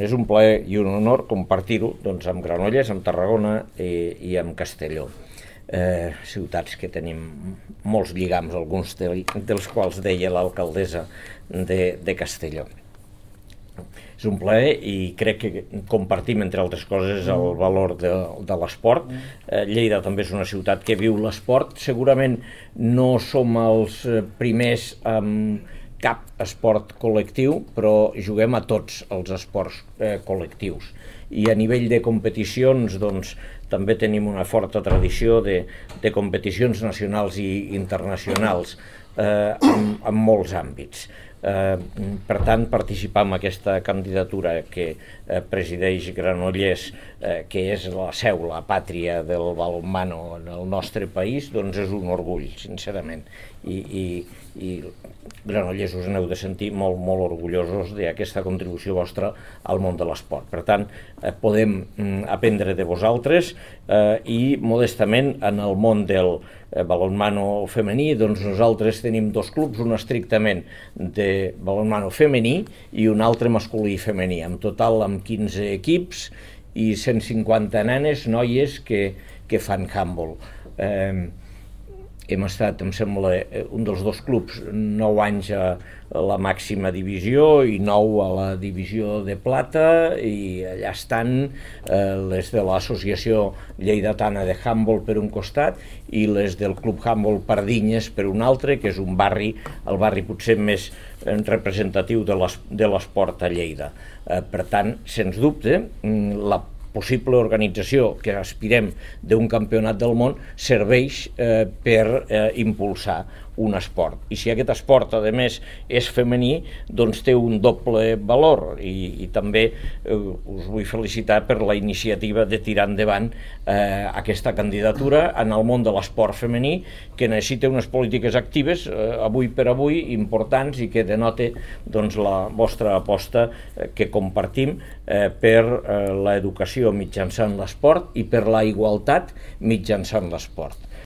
és un plaer i un honor compartir-ho amb Granollers, amb Tarragona i amb Castelló. Ciutats que tenim molts lligams, alguns dels quals deia l'alcaldessa de Castelló. És un plaer i crec que compartim, entre altres coses, el valor de l'esport. Lleida també és una ciutat que viu l'esport. Segurament no som els primers amb cap esport col·lectiu, però juguem a tots els esports col·lectius. I a nivell de competicions, doncs, també tenim una forta tradició de competicions nacionals i internacionals en molts àmbits. Per tant, participar en aquesta candidatura que presideix Granollers, que és la seu, la pàtria del balonmano en el nostre país, doncs és un orgull, sincerament. I Granollers us n'heu de sentir molt, molt orgullosos d'aquesta contribució vostra al món de l'esport. Per tant, podem aprendre de vosaltres i, modestament, en el món del balonmano femení, doncs nosaltres tenim dos clubs, un estrictament de balonmano femení i un altre masculí i femení, en total amb 15 equips i 150 nenes, noies que fan handball. Hem estat, em sembla, un dels dos clubs 9 anys a la màxima divisió i 9 a la divisió de plata, i allà estan les de l'associació lleidatana de handball per un costat i les del club handball Pardinyes per un altre, que és un barri, el barri potser més representatiu de l'esport a Lleida. Per tant, sens dubte, la possible organització que aspirem d'un campionat del món serveix per impulsar un esport. I si aquest esport, a més, és femení, doncs té un doble valor. I també us vull felicitar per la iniciativa de tirar endavant aquesta candidatura en el món de l'esport femení, que necessita unes polítiques actives, avui per avui, importants, i que denota la vostra aposta que compartim per l'educació mitjançant l'esport i per la igualtat mitjançant l'esport.